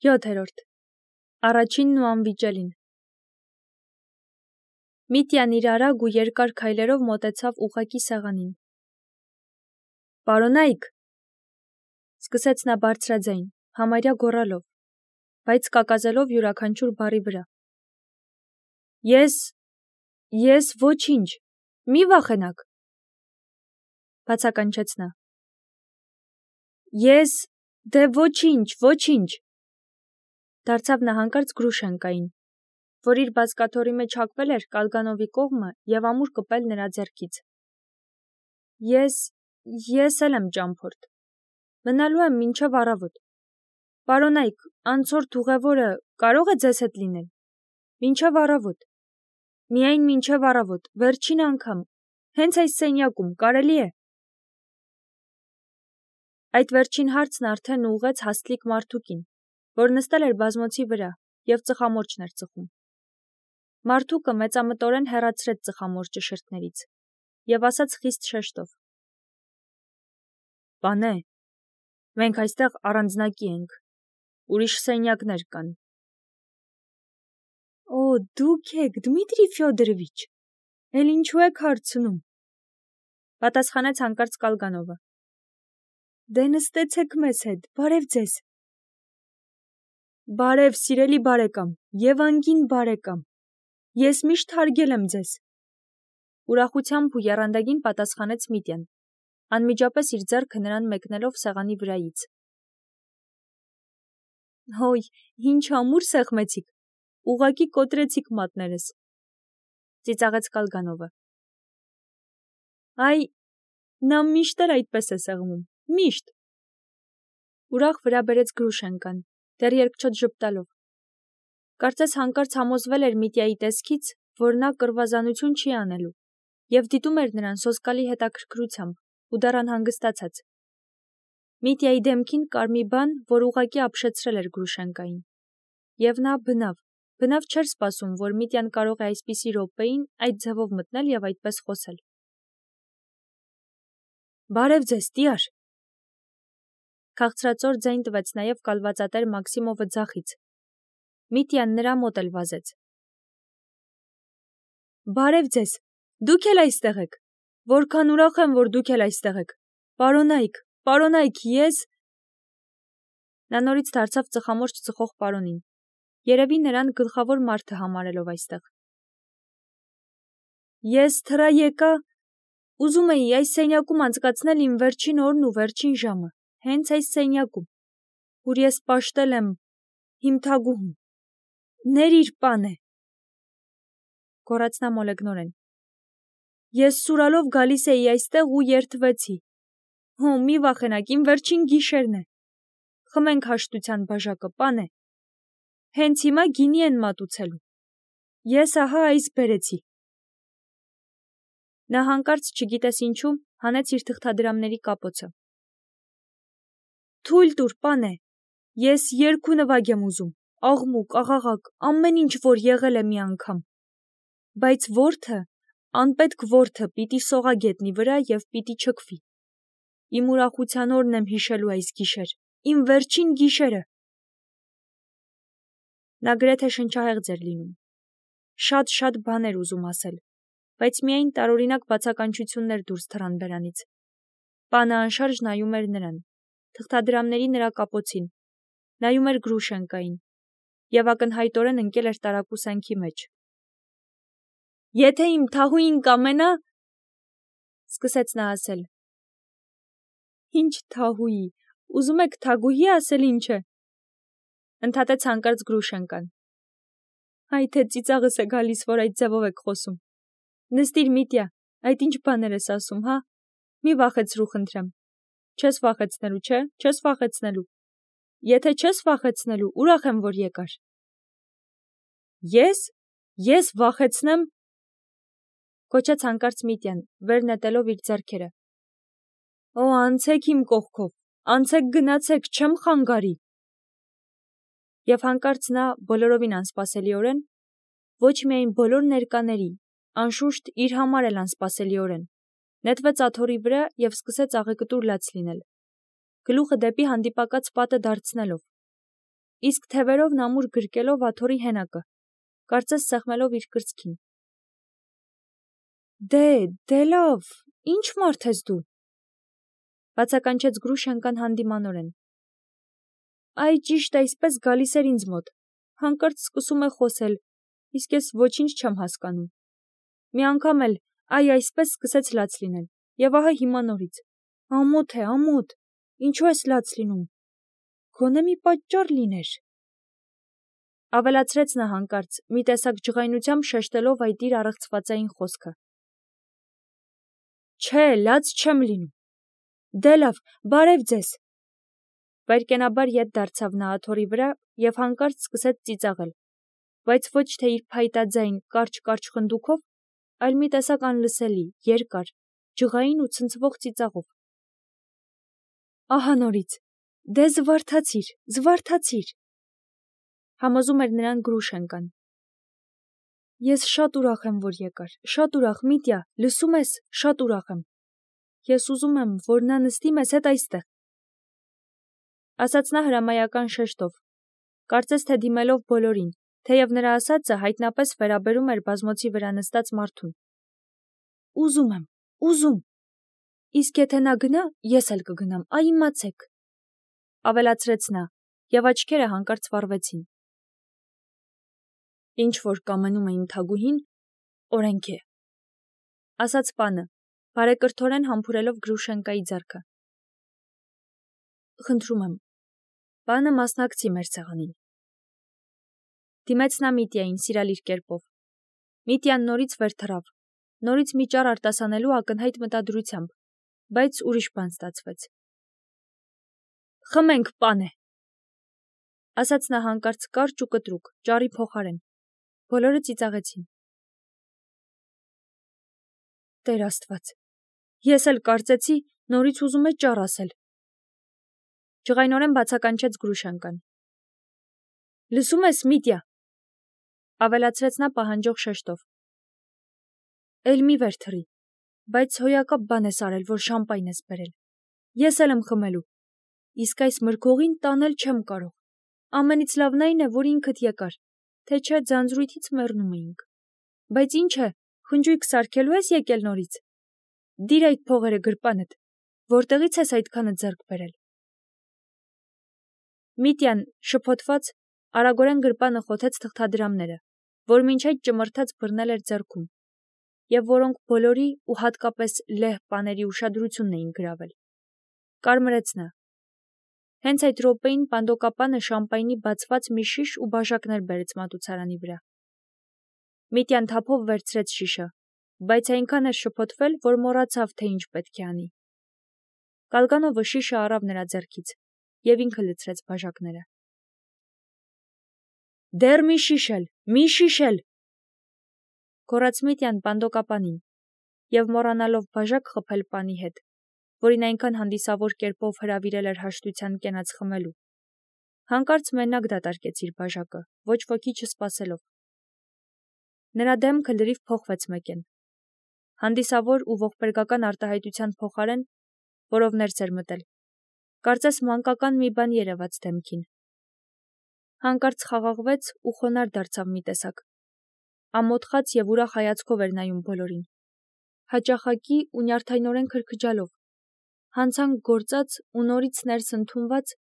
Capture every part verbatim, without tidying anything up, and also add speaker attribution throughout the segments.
Speaker 1: յոթերորդ. Առաջինն ու անվիճելին։ Միտյան իր արագ ու երկար քայլերով մոտեցավ ուղղակի սեղանին։ Պարոնայք, սկսեց նա բարձրաձայն, համարյա գոռալով, բայց կակազելով յուրաքանչյուր բառի վրա։ Ես, ես ոչինչ, մի վախենաք, բացականչեց նա։ Ես, դե ոչինչ, ոչինչ, դարձավ նա հանկարծ Գրուշենկային, որ իր բազկաթոռի մեջ հակվել էր Կալգանովի կողմը և ամուր կպել նրա ձեռքից։ Ես, ես էլ եմ ճամփորդ, մնալու եմ մինչև առավոտ։ Պարոնայք, անցորդ ուղևորը կարո՞ղ է ձեզ հետ լինել։ Մինչև առավոտ, միայն մինչև առավոտ, վերջին անգամ, հենց այս սենյակում, կարելի է։ Այդ վերջին հարցն արդեն ուղղեց հաստլիկ մարդուկին, որ նստել էր բազմոցի վրա և ծխամորճն էր ծխում։ Մարդուկը մեծամտորեն հեռացրեց ծխամորճը շրթներից և ասաց խիստ շեշտով. Պանե, մենք այստեղ առանձնակի ենք, ուրիշ սենյակներ կան։ Օ, դուք եք, Դմիտրի Ֆյոդորովիչ, էլ ինչու եք հարցնում, պատասխանեց հանկարծ Կալգանովը։ Դե նստեցեք մեզ հետ, բարև ձեզ։ Բարև, սիրելի բարեկամ, և անգին բարեկամ, ես միշտ հարգել եմ ձեզ։ Ուրախությամբ ու եռանդագին պատասխանեց Միտյան, անմիջապես իր ձեռքը նրան մեկնելով սեղանի վրայից։ Հոյ, ինչ ամուր սեղմեցիք, ուղղակի կոտրեցիք մատներս, ծիծաղեց Կալգանովը։ Այ, նա միշտ էլ այդպես է սեղմում, միշտ։ Ուրախ վրա բերեց Գրուշենկան, դեռ երկչոտ ժպտալով։ Կարծես հանկարծ համոզվել էր Միտյայի տեսքից, որ նա կռվազանություն չի անելու, և դիտում էր նրան սոսկալի հետաքրքրությամբ ու դեռ անհանգստացած։ Միտյայի դեմքին կար մի բան, որ ուղղակի ապշեցրել էր Գրուշենկային, և նա բնավ, բնավ չէր սպասում, որ Միտյան կարող է այսպիսի րոպեին այդ ձևով մտնել և այդպես խոսել։ Բարև ձեզ, տյար, քաղցրածոր ձայն տվեց նաև կալվածատեր Մաքսիմովը ձախից։ Միտյան նրա մոտ էլ վազեց։ Բարև ձեզ, դուք էլ այստեղ եք, որքան ուրախ եմ, որ դուք էլ այստեղ եք, պարոնայք, պարոնայք, ես… Նա նորից դարձավ ծխամորճ ծխող պարոնին, երևի նրան գլխավոր մարդը համարելով այստեղ։ Ես թռա եկա, ուզում էի այս սենյակում անցկացնել իմ վերջին օրն ու վերջին ժամը, հենց այս սենյակում, ուր ես պաշտել եմ իմ թագուհուն։ Ներիր, պանե, գոռաց նա մոլեգնորեն։ Ես սուրալով գալիս էի այստեղ ու երդվեցի։ Հո, մի վախենաք, իմ վերջին գիշերն է։ Խմենք հաշտության բաժակը, պանե։ Հենց հիմա գինի են մատուցելու։ Ես ահա այս բերեցի։ Նա հանկարծ, չգիտես ինչու, հանեց իր թղթադրամների կապոցը։ Թույլ տուր, պանե, ես երգ ու նվագ եմ ուզում, աղմուկ, աղաղակ, ամեն ինչ, որ եղել է մի անգամ։ Բայց որդը, անպետք որդը պիտի սողա գետնի վրա և պիտի չքվի։ Իմ ուրախության օրն եմ հիշելու այս գիշեր, իմ վերջին գիշերը։ Նա գրեթե շնչահեղձ էր լինում։ Շատ-շատ բաներ ուզում ասել, բայց միայն տարօրինակ բացականչություններ դուրս թռան բերանից։ Պանը անշարժ նայում էր նրան, թղթադրամների նրա կապոցին, նայում էր Գրուշենկային և ակնհայտորեն ընկել էր տարակուսանքի մեջ։ Եթե իմ թահուին կամենա, սկսեց նա ասել։ Ինչ թահուի, ուզում եք թագուհի ասել ինչ է, ընդհատեց հանկարծ Գրուշենկան։ Այ թե ծիծաղս է գալիս, որ այդ ձևով եք խոսում։ Նստիր, Միտյա, այդ ինչ բաներ ես ասում, հա։ Մի վախեցրու, խնդրեմ։ Չես վախեցնելու, չէ, չես վախեցնելու։ Եթե չես վախեցնելու, ուրախ եմ, որ եկար։ Ես, ես վախեցնեմ, կոչեց հանկարծ Միտյան, վեր նետելով իր ձեռքերը։ Օ, անցեք իմ կողքով, անցեք գնացեք, չեմ խանգարի։ Եվ հանկարծ նա բոլորովին անսպասելիորեն, ոչ միայն բոլոր ներկաների, անշուշտ իր համար էլ անսպասելիորեն, նետվեց աթոռի վրա և սկսեց աղեկտուր լաց լինել, գլուխը դեպի հանդիպակաց պատը դարձնելով, իսկ թևերով նամուր գրկելով աթոռի հենակը, կարծես սեղմելով իր կրծքին։ Դե, դե լավ, ինչ մարդ ես դու, բացականչեց Գրուշենկան հանդիմանորեն։ Այ ճիշտ այսպես գալիս էր ինձ մոտ, հանկարծ սկսում է խոսել, իսկ ես ոչինչ չեմ հասկանում։ Մի անգամ էլ այ այսպես սկսեց լաց լինել, եւ ահա հիմա նորից։ Ամոթ է, ամոթ, ինչու ես լաց լինում։ Գոնե մի պատճառ լիներ։ Ավելացրեց նա հանկարծ, մի տեսակ ջղայնությամբ շեշտելով այդ իր առեղծվածային խոսքը։ Չէ, լաց չեմ լինում։ Դե լավ, բարև ձեզ։ Վայրկենաբար ետ դարձավ նա աթոռի վրա եւ հանկարծ սկսեց ծիծաղել, բայց ոչ թե իր փայտաձայն կարճ-կարճ խնդուկով, այլ մի տեսակ անլսելի, երկար, ջղային ու ցնցվող ծիծաղով։ Ահա նորից, դե զվարթացիր, զվարթացիր, համոզում էր նրան Գրուշենկան։ Ես շատ ուրախ եմ, որ եկար, շատ ուրախ, Միտյա, լսում ես, շատ ուրախ եմ։ Ես ուզում եմ, որ նա նստի մեզ հետ այստեղ։ Ասաց նա հրամայական շեշտով, կարծես թե դիմելով բոլորին, թեև նրա ասածը հայտնապես վերաբերում էր բազմոցի վրա նստած մարդուն։ Ուզում եմ, ուզում։ Իսկ եթե նա գնա, ես էլ կգնամ, այ իմացեք, ավելացրեց նա, եւ աչքերը հանկարծ վառվեցին։ Ինչ որ կամենում է իմ թագուհին, օրենք է, ասաց պանը, բարեկրթորեն համբուրելով Գրուշենկայի ձեռքը։ Խնդրում եմ, պանը մասնակցի մեր ցեղանին։ Դիմեց նա Միտյային սիրալիր կերպով։ Միտյան նորից վեր թռավ, նորից մի ճար արտասանելու ակնհայտ մտադրությամբ, բայց ուրիշ բան ստացվեց։ Խմենք, պանը, ասաց նա հանկարծ կարճ ու կտրուկ, ճարի փոխարեն։ Բոլորը ծիծաղեցին։ Տեր Աստված, ես էլ կարծեցի, նորից ուզում է ճար ասել։ Ջղայնորեն բացականչեց Գրուշենկան։ Լսում ես, Միտյա, ավելացրեց նա պահանջող շեշտով։ Էլ մի վեր թռի, բայց հոյակապ բան ես արել, որ շամպայն ես բերել։ Ես էլ եմ խմելու, իսկ այս մրգողին տանել չեմ կարող։ Ամենից լավն այն է, որ ինքդ եկար, թե չէ ձանձրույթից մեռնում էինք։ Բայց ինչ է, խնջույք սարքելու ես եկել նորից։ Դիր այդ փողերը գրպանդ, որտեղից ես այդքանը ձեռք բերել։ Միտյան, շփոթված, արագորեն գրպանը խոթեց թղթադրամները, որ մինչ այդ ճմրթած բռնել էր ձեռքում, եւ որոնք բոլորի ու հատկապես լեհ պաների ուշադրությունն էին գրավել։ Կարմրեց նա։ Հենց այդ րոպեին պանդոկապանը շամպայնի բացված մի շիշ ու բաժակներ բերեց մատուցարանի վրա։ Միտյան թափով վերցրեց շիշը, բայց այնքան էր շփոթվել, որ մոռացավ, թե ինչ պետք է անի։ Կալկանովը շիշը առավ նրա ձեռքից եւ ինքը լցրեց բաժակները։ Դեռ մի շիշել, մի շիշել, գոռաց Միտյան պանդոկապանին եւ մոռանալով բաժակ խփել պանի հետ, որին այնքան հանդիսավոր կերպով հրավիրել էր հաշտության կենաց խմելու։ Հանկարծ մենակ դատարկեց իր բաժակը, ոչ ոքի չսպասելով։ Նրա դեմքը լրիվ փոխվեց մեկեն։ Հանդիսավոր ու ողբերգական արտահայտության փոխարեն, որով ներս էր մտել, կարծես մանկական մի բան երևաց դեմքին։ Հանկարծ խաղաղվեց ու խոնարհ դարձավ մի տեսակ։ Ամոթխած եւ ուրախ հայացքով էր նայում բոլորին։ Հաճախակի ու նյարդայնորեն քրքջալով, հանցանք գործած ու նորից ներս ընդունված,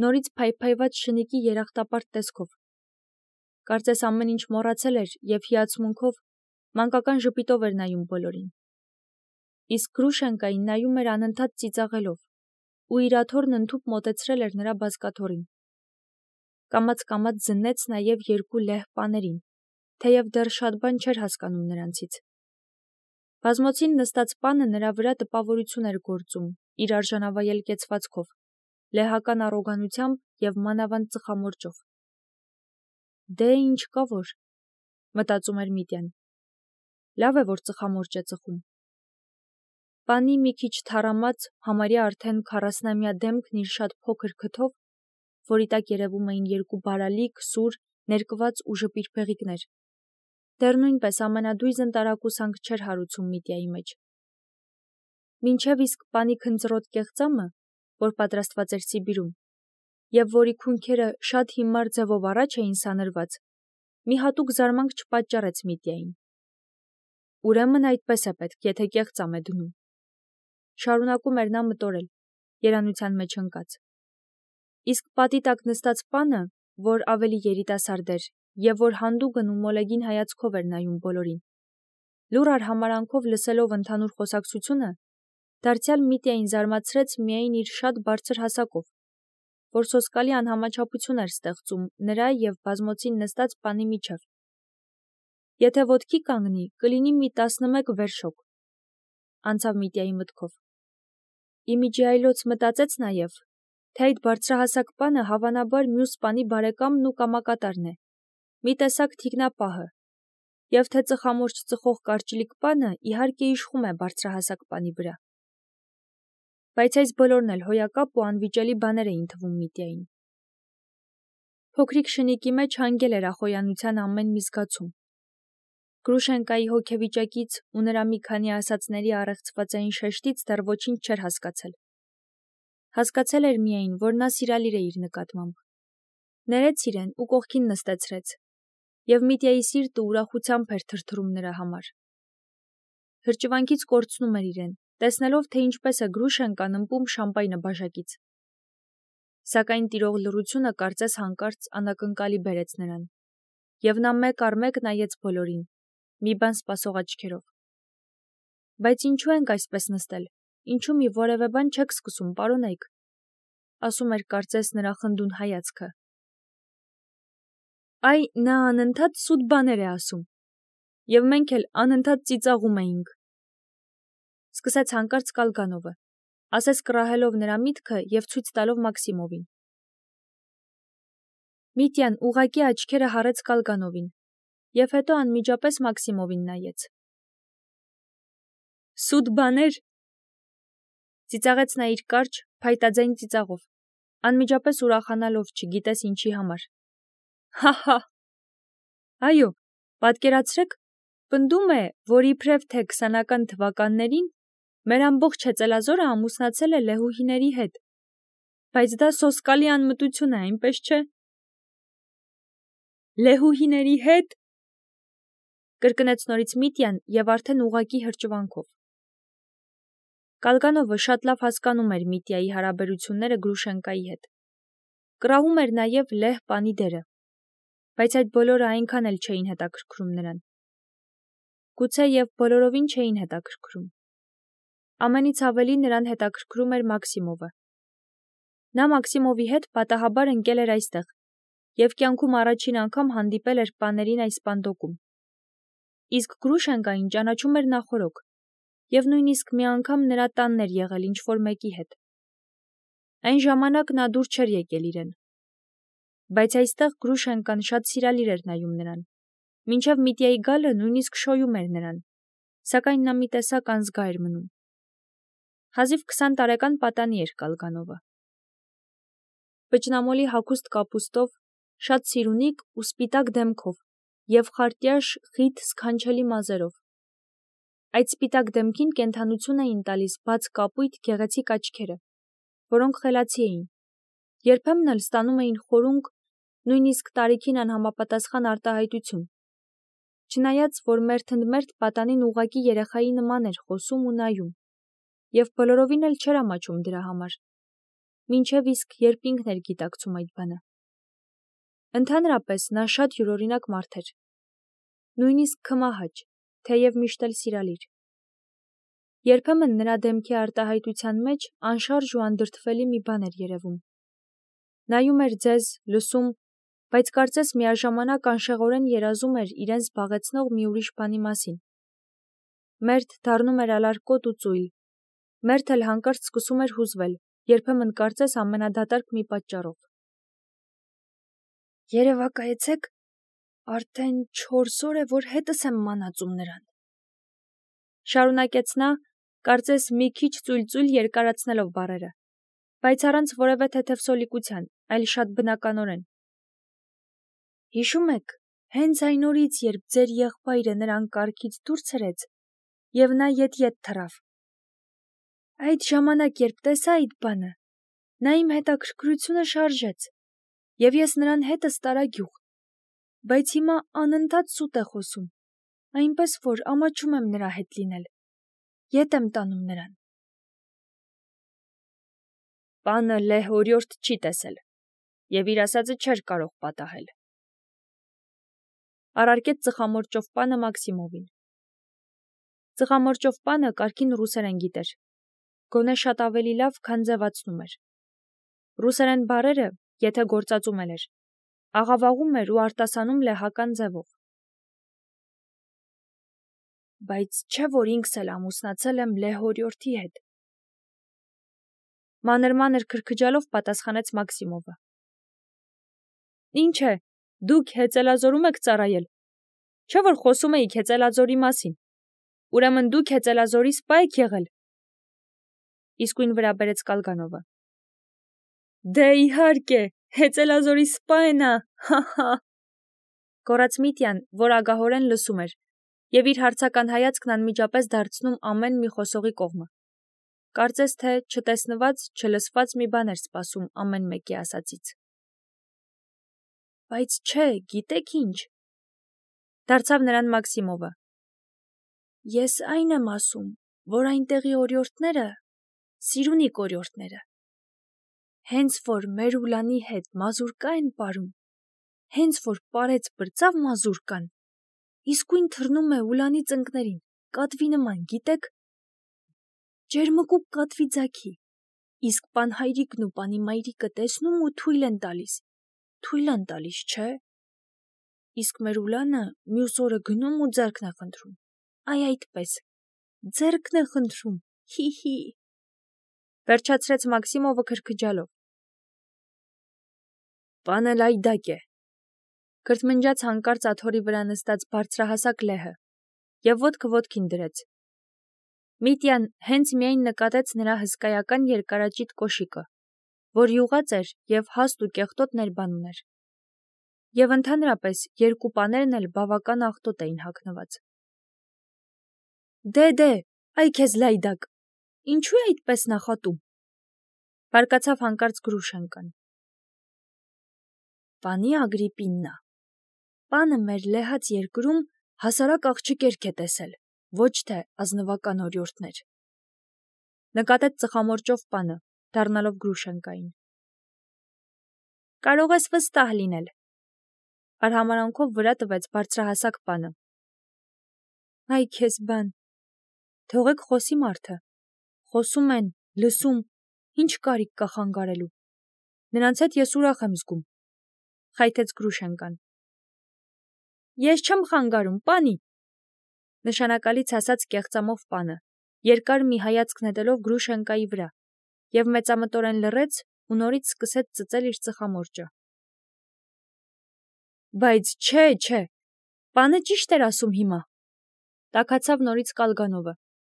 Speaker 1: նորից փայփայված շնիկի երախտապարտ տեսքով։ Կարծես ամեն ինչ մոռացել էր եւ հիացմունքով, մանկական ժպիտով էր նայում բոլորին։ Իսկ Գրուշենկային նայում էր անընդհատ ծիծաղելով, ու իր աթոռն ընդհուպ մոտեցրել էր նրա բազկաթոռին։ Կամաց-կամաց զննեց նաեւ երկու լեհ պաներին, թեև դեռ շատ բան չէր հասկանում նրանցից։ Բազմոցին նստած պանը նրա վրա տպավորություն էր գործում իր արժանավայել կեցվածքով, լեհական առոգանությամբ եւ մանավանդ ծխամորճով։ Դե ինչ կա որ, մտածում էր Միտյան։ Լավ է, որ ծխամորճ է ծխում։ Պանի մի քիչ թառամած, համարյա արդեն քառասնամյա դեմքն իր շատ փոքր քթով, որի տակ երևում էին երկու բարալիկ, սուր, ներկված ու ժպիր փեղիկներ, դեռ նույնպես ամենադույզն տարակուսանք չէր հարուցում Միտյայի մեջ։ Մինչև իսկ պանի քնձռոտ կեղծամը, որ պատրաստված էր Սիբիրում, եւ որի քունքերը շատ հիմար ձևով առաջ էին սանրված, մի հատուկ զարմանք չպատճառեց Միտյային։ Ուրեմն այդպես է պետք, եթե կեղծամ է դնում։ Շարունակում էր նա մտորել, երանության մեջ ընկած։ Իսկ պատի տակ նստած պանը, որ ավելի երիտասարդ էր եւ որ հանդուգն ու մոլեգին հայացքով էր նայում բոլորին, լուռ արհամարանքով լսելով ընդհանուր խոսակցությունը, դարձյալ Միտյային զարմացրեց միայն իր շատ բարձր հասակով, որ սոսկալի անհամաչափություն էր ստեղծում նրա եւ բազմոցին նստած պանի միջև։ Եթե ոտքի կանգնի, կլինի մի տասնմեկ վերշոկ, անցավ Միտյայի մտքով։ Իմիջի այլոց մտածեց նաեւ, թե այդ բարձրահասակ պանը հավանաբար մյուս պանի բարեկամն ու կամակատարն է, մի տեսակ թիկնապահը, եւ թե ծխամորճ ծխող կարճլիկ պանը իհարկե իշխում է բարձրահասակ պանի վրա։ Բայց այս բոլորն էլ հոյակապ ու անվիճելի բաներ էին թվում Միտյային։ Փոքրիկ շնիկի մեջ հանգել էր ախոյանության ամեն մի զգացում։ Գրուշենկայի հոգեվիճակից ու նրա մի քանի ասածների առեղծվածային շեշտից դեռ ոչինչ չէր հասկացել։ Հասկացել էր միայն, որ նա սիրալիր է իր նկատմամբ։ Ներեց իրեն ու կողքին նստեցրեց, եւ Միտյայի սիրտը ուրախությամբ էր թրթռում նրա համար։ Հրճվանքից կորցնում էր իրեն, տեսնելով, թե ինչպես է Գրուշենկան ըմպում շամպայնը բաժակից։ Սակայն տիրող լռությունը կարծես հանկարծ անակնկալի բերեց նրան, եւ նա մեկ առ մեկ նայեց բոլորին, մի բան սպասող աչքերով։ Բայց ինչու ենք այսպես նստել, ինչու մի որևէ բան չեք սկսում, պարոնայք, ասում էր կարծես նրա խնդուն հայացքը։ Այ նա անընդհատ սուտ բաներ է ասում, եւ մենք էլ անընդհատ ծիծաղում էինք։ Սկսեց հանկարծ Կալգանովը, ասես կռահելով նրա միտքը եւ ցույց տալով Մաքսիմովին։ Միտյան ուղղակի աչքերը հառեց Կալգանովին եւ հետո անմիջապես Մաքսիմովին նայեց։ Սուտ բաներ, ծիծաղեց նա իր կարճ, փայտաձայն ծիծաղով, անմիջապես ուրախանալով չգիտես ինչի համար։ Հա՛հա։ Այո, պատկերացրեք, պնդում է, որ իբրև թե քսանական թվականներին մեր ամբողջ Հեծելազորը ամուսնացել է լեհուհիների հետ, բայց դա սոսկալի անմտություն է, այնպես չէ։ Լեհուհիների հետ, կրկնեց նորից Միտյան եւ արդեն ուղակի հրճվանքով։ Կալգանովը շատ լավ հասկանում էր Միտյայի հարաբերությունները Գրուշենկայի հետ։ Կռահում էր նաեւ լեհ պանի դերը, բայց այդ բոլորը այնքան էլ չէին հետաքրքրում նրան։ Գուցե եւ բոլորովին չէին հետաքրքրում։ Ամենից ավելի նրան հետաքրքրում էր Մաքսիմովը։ Նա Մաքսիմովի հետ պատահաբար ընկել էր այստեղ եւ կյանքում առաջին անգամ հանդիպել էր պաներին այս պանդոկում։ Իսկ Գրուշենկային ճանաչում էր նախորոք եւ նույնիսկ մի անգամ նրա տանն էր եղել ինչ-որ մեկի հետ։ Այն ժամանակ նա դուր չէր եկել իրեն։ Բայց այստեղ Գրուշենկան շատ սիրալիր էր նայում նրան։ Մինչև Միտյայի գալը նույնիսկ շոյում էր նրան, սակայն նա մի տեսակ անզգա էր մնում։ Հազիվ քսան տարեկան պատանի էր Կալգանովը։ Պճնամոլի հագուստ կապուստով, շատ սիրունիկ ու սպիտակ դեմքով եւ խարտյաշ խիտ սքանչելի մազերով։ Այդ սպիտակ դեմքին կենդանություն էին տալիս բաց կապույտ գեղեցիկ աչքերը, որոնք խելացի էին, երբեմն էլ ստանում էին խորունկ, նույնիսկ տարիքին անհամապատասխան արտահայտություն, չնայած որ մերթընդմերթ պատանին ուղղակի երեխայի նման էր խոսում ու նայում, եւ բոլորովին էլ չէր ամաչում դրա համար, մինչև իսկ երբ ինքն էր գիտակցում այդ բանը։ Ընդհանրապես նա շատ յուրօրինակ մարդ էր, նույնիսկ քմահաճ, թեև միշտ էլ սիրալիր։ Երբեմն նրա դեմքի արտահայտության մեջ անշարժ ու անդրդվելի մի բան էր երևում։ Նայում էր ձեզ, լսում, բայց կարծես միաժամանակ անշեղորեն երազում էր իրեն զբաղեցնող մի ուրիշ բանի մասին։ Մերթ դառնում էր ալարկոտ ու ծույլ, մերթ էլ հանկարծ սկսում էր հուզվել, երբեմն կարծես ամենադատարկ մի պատճառով։ Երևակայեցեք, արդեն չորս օր է, որ հետս եմ մանածում նրան։ Շարունակեց նա, կարծես մի քիչ ծույլ-ծույլ երկարացնելով բառերը, բայց առանց որևէ թեթև սոլիկության, այլ շատ բնականորեն։ Հիշում եք, հենց այն օրից, երբ ձեր եղբայրը նրան կառքից դուրս հրեց, եւ նա ետ-ետ թռավ։ Այդ ժամանակ, երբ տեսա այդ բանը, Նա իմ հետաքրքրությունը շարժեց, և ես նրան հետը ստարա գյուղ, բայց հիմա անընդհատ սուտ է խոսում, այնպես որ ամաչում եմ նրա հետ լինել, ետ եմ տանում նրան։ Պանը լեհ օրիորդ չի տեսել, և իր ասածը չէր կարող պատահել։ Առարկեց ծխամորճով պանը Մաքսիմովին։ Ծխամորճով պանը կարգին ռուսերեն գիտեր, գոնե շատ ավելի լավ, քան ձևացնում էր։ Ռուսերեն բառերը, եթե գործածում էր, աղավաղում էր ու արտասանում լեհական ձևով։ Բայց չէ, որ ինքս էլ ամուսնացել եմ լեհ օրիորդի հետ։ Մանր-մանր քրքջալով պատասխանեց Մաքսիմովը։ Ինչ է, դուք Հեծելազորում եք ծառայել, չէ՞ որ խոսում էիք Հեծելազորի մասին, ուրեմն դուք Հեծելազորի սպա եք եղել։ Իսկույն վրա բերեց Կալգանովը։ Դե իհարկե, Հեծելազորի սպա է նա, հա՛հա՛։ Գոռաց Միտյան, որ ագահորեն լսում էր, և իր հարցական հայացքն անմիջապես դարձնում ամեն մի խոսողի կողմը։ Կարծես թե չտեսնված, չլսված մի բան էր սպասում ամեն մեկի ասածից։ Բայց չէ, գիտեք ինչ, դարձավ նրան Մաքսիմովը։ Ես այն եմ ասում, որ այնտեղի օրիորդները, Սիրունիկ օրիորդները, հենց որ մեր Ուլանի հետ մազուրկա են պարում, հենց որ պարեց բրձավ մազուրկան, իսկույն թռնում է Ուլանի ծնկներին, կատվի նման, գիտեք, ջերմկուկ կատվի ձագի, իսկ պան հայրիկն ու պանի մայրիկը տեսնում ու թույլ են տալիս, թույլ են տալիս, չէ՞։ Իսկ մեր Ուլանը մյուս օրը գնում ու ձեռքն է խնդրում, այ այդպես, ձեռքն է խնդրում, հի՛հի։ Վերջացրեց Մաքսիմովը քրքջալով։ Պանը լայդակ է, քրթմնջաց հանկարծ աթոռի վրա նստած բարձրահասակ լեհը, և ոտքը ոտքին դրեց։ Միտյան հենց միայն նկատեց նրա հսկայական երկարաճիտ կոշիկը, որ յուղած էր և հաստ ու կեղտոտ ներբան ուներ։ Եվ ընդհանրապես երկու պաներն էլ բավական աղտոտ էին հագնված։ Դե, դե, այ քեզ լայդակ, ինչու է այդպես նախատում, բարկացավ հանկարծ Գրուշենկան։ Պանի Ագրիպիննա, պանը մեր լեհած երկրում հասարակ աղջիկերք է տեսել, ոչ թե ազնվական օրիորդներ։ Նկատեց ծխամորճով պանը, դառնալով Գրուշենկային։ Կարող ես վստահ լինել, արհամարանքով վրա տվեց բարձրահասակ պանը։ Այ քեզ բան, թողեք խոսի մարդը, խոսում են, լսում, ինչ կարիք կա խանգարելու, նրանց հետ ես ուրախ եմ զգում, խայթեց Գրուշենկան։ Ես չեմ խանգարում, պանի, նշանակալից ասաց կեղծամով պանը, երկար մի հայացք նետելով Գրուշենկայի վրա, և մեծամտորեն լռեց ու նորից սկսեց ծծել իր ծխամորճը։ Բայց չէ, չէ, պանը ճիշտ էր ասում հիմա, տաքացավ նորից Կալգանովը,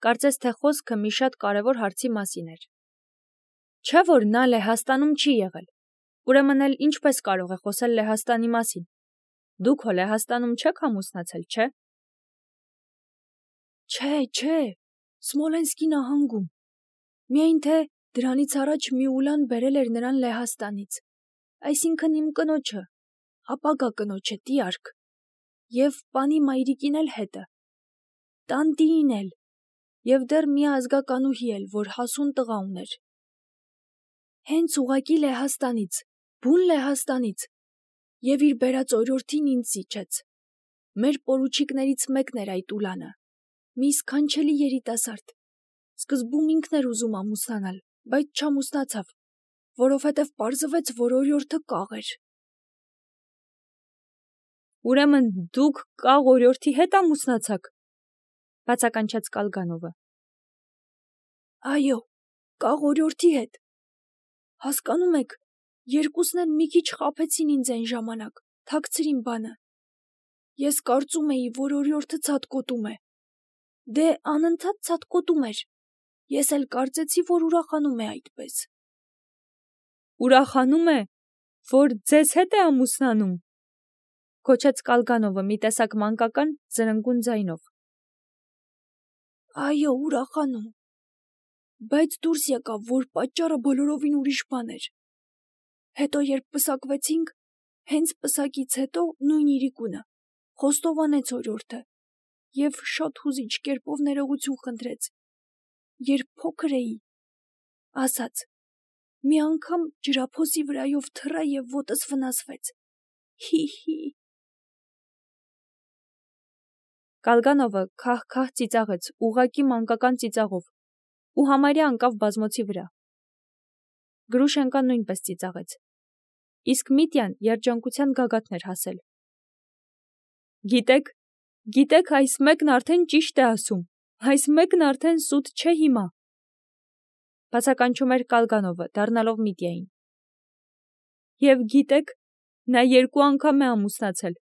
Speaker 1: կարծես թե խոսքը մի շատ կարևոր հարցի մասին էր։ Չէ՞ որ նա Լեհաստանում չի եղել, ուրեմն էլ ինչպես կարող է խոսել Լեհաստանի մասին։ Դուք հո Լեհաստանում չեք ամուսնացել, չէ՞։ Չէ, չէ, Սմոլենսկի նահանգում, միայն թե դրանից առաջ մի Ուլան բերել էր նրան Լեհաստանից, այսինքն իմ կնոջը, ապագա կնոջը, տիարք, և պանի մայրիկին էլ հետը, տանտիին էլ, և դեռ մի ազգականուհի էլ, որ հասուն տղա ուներ։ Հենց ուղղակի Լեհաստանից, բուն Լեհաստանից, և իր բերած օրիորդին ինձ զիջեց։ Մեր պորուչիկներից մեկն էր այդ Ուլանը, մի սքանչելի երիտասարդ, սկզբում ինքն էր ուզում ամուսնանալ, բայց չամուսնացավ, որովհետև պարզվեց, որ օրիորդը կաղ էր։ Ուրեմն դուք կաղ օրիորդի հետ ամուսնացաք, բացականչեց Կալգանովը։ Այո, կաղ օրիորդի հետ։ Հասկանում եք, երկուսն էլ մի քիչ խաբեցին ինձ այն ժամանակ, թաքցրին բանը։ Ես կարծում էի, որ օրիորդը ցատկոտում է։ Դե անընդհատ ցատկոտում էր։ Ես էլ կարծեցի, որ ուրախանում է այդպես։ Ուրախանում է, որ ձեզ հետ է ամուսնանում, գոչեց Կալգանովը մի տեսակ մանկական զրնգուն ձայնով։ Այո, ուրախանում։
Speaker 2: բայց դուրս եկավ, որ պատճառը բոլորովին ուրիշ բան էր։ Հետո երբ պսակվեցինք, հենց պսակից հետո նույն իրիկունը խոստովանեց օրիորդը եւ շատ հուզիչ կերպով ներողություն խնդրեց։ Երբ փոքր էի, ասաց. մի անգամ ջրափոսի վրայով թռա եւ ոտս վնասվեց։ Հի-հի։
Speaker 1: Կալգանովը քահ-քահ ծիծաղեց, ուղղակի մանկական ծիծաղով, ու համարյա անկավ բազմոցի վրա։ Գրուշենկան նույնպես ծիծաղեց։ Իսկ Միտյան երջանկության գագաթն էր հասել։ Գիտեք, գիտեք, այս մեկն արդեն ճիշտ է ասում, այս մեկն արդեն սուտ չէ հիմա։ Բացականչում էր Կալգանովը, դառնալով Միտյային։ Եվ գիտեք, նա երկու անգամ է ամուսնացել։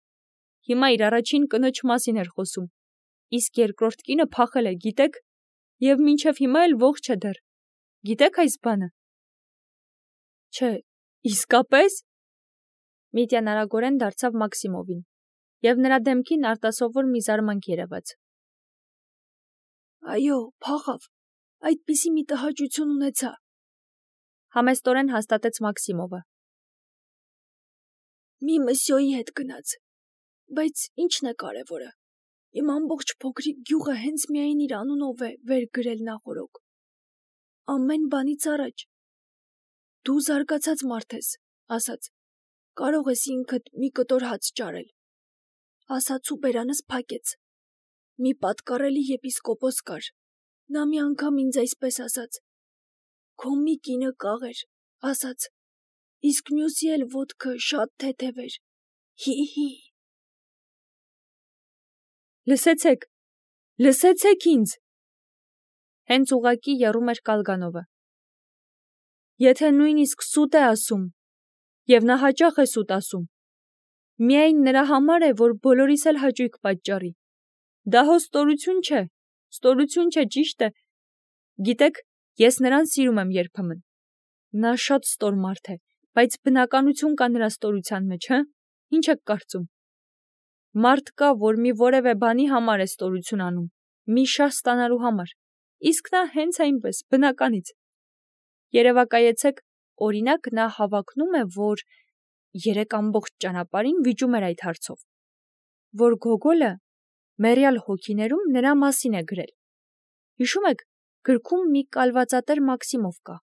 Speaker 1: Հիմա իր առաջին կնոջ մասին էր խոսում, իսկ երկրորդ կինը փախել է, գիտեք, եւ մինչեւ հիմա էլ ողջ է դեռ։ Գիտեք այս բանը։ Չէ, իսկապես։ Միտյան արագորեն դարձավ Մաքսիմովին, եւ նրա դեմքին արտասովոր մի զարմանք երևաց։
Speaker 2: Այո, փախավ, այդպիսի մի տհաճություն ունեցա,
Speaker 1: համեստորեն հաստատեց Մաքսիմովը։
Speaker 2: Մի մսյոյի հետ գնաց, բայց ինչն է կարևորը։ Իմ ամբողջ փոքրիկ գյուղը հենց միայն իր անունով է վեր գրել նախորոք։ Ամեն բանից առաջ դու զարգացած մարդ ես, ասաց, կարող ես ինքդ մի կտոր հաց ճարել։ Ասաց ու բերանս փակեց։ Մի պատկառելի եպիսկոպոս կար։ Նա մի անգամ ինձ այսպես ասաց. քո մի կինը կաղ էր, ասաց, իսկ մյուսի էլ ոտքը շատ թեթև էր։ Հի-հի։
Speaker 1: Լսեցեք, լսեցեք ինձ։ Հենց ուղակի եռում էր Կալգանովը։ Եթե նույնիսկ սուտ է ասում, եւ նա հաճախ է սուտ ասում, միայն նրա համար է, որ բոլորիս էլ հաճույք պատճառի։ Դա հո ստորություն չէ, ստորություն չէ, ճիշտ է։ Գիտեք, ես նրան սիրում եմ երբեմն։ Նա շատ ստոր մարդ է, բայց բնականություն կա նրա ստորության մեջ, հը՞։ Ինչ եք կարծում։ Մարդ կա, որ մի որևէ բանի համար է ստորություն անում, մի շահ ստանալու համար, իսկ նա հենց այնպես, բնականից։ Երևակայեցեք, օրինակ, նա հավակնում է, որ երեք ամբողջ ճանապարհին վիճում էր այդ հարցով, որ Գոգոլը մեռյալ հոգիներում նրա մասին է գրել։ Հիշում եք, գրքում մի կալվածատեր Մաքսիմով կա,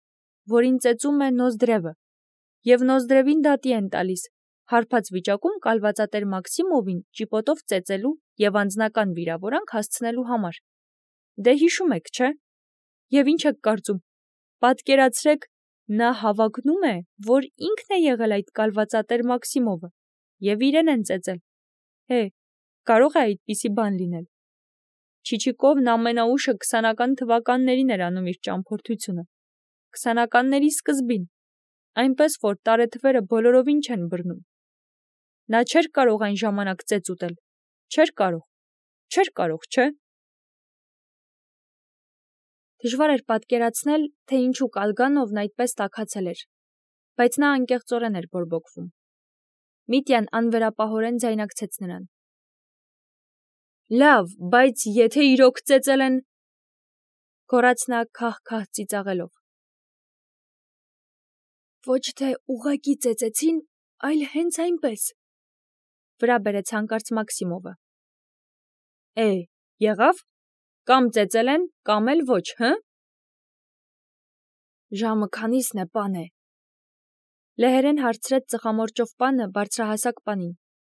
Speaker 1: որին ծեծում է Նոզդրևը, եւ Նոզդրևին դատի են տալիս, հարբած վիճակում կալվածատեր Մաքսիմովին ճիպոտով ծեծելու եւ անձնական վիրավորանք հասցնելու համար։ Դե հիշում եք, չէ՞։ Եվ ինչ եք կարծում։ Պատկերացրեք, նա հավակնում է, որ ինքն է եղել այդ կալվածատեր Մաքսիմովը, եւ իրեն են ծեծել։ Հե, կարող է այդպիսի բան լինել։ Չիչիկովն ամենաուշը քսանական թվականներին էր անում իր ճամփորդությունը։ Քսանականների սկզբին, այնպես որ տարեթվերը բոլորովին չեն բռնում։ Նա չէր կարող այն ժամանակ ծեծ ուտել, չէր կարող, չէր կարող, չէ՞։ Դժվար էր պատկերացնել, թե ինչու Կալգանովն այդպես տաքացել էր, բայց նա անկեղծորեն էր բորբոքվում։ Միտյան անվերապահորեն ձայնարկեց նրան։ Լավ, բայց եթե իրոք ծեծել են, գոռաց նա քահ-քահ ծիծաղելով։
Speaker 2: Ոչ թե ուղակի ծեծեցին, այլ հենց այնպես։
Speaker 1: Վրա բերեց հանկարծ Մաքսիմովը։ Է, եղավ։ Կամ ծեծել են, կամ էլ ոչ, հը։
Speaker 2: Ժամը քանիսն է, պане։
Speaker 1: Լեհերեն հարցրեց ծխամորճով պանը բարձրահասակ պանին,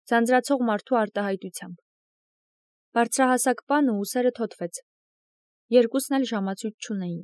Speaker 1: ձանձրացող մարդու արտահայտությամբ։ Բարձրահասակ պանը ուսերը թոթվեց։ Երկուսն էլ ժամացույց չունեին։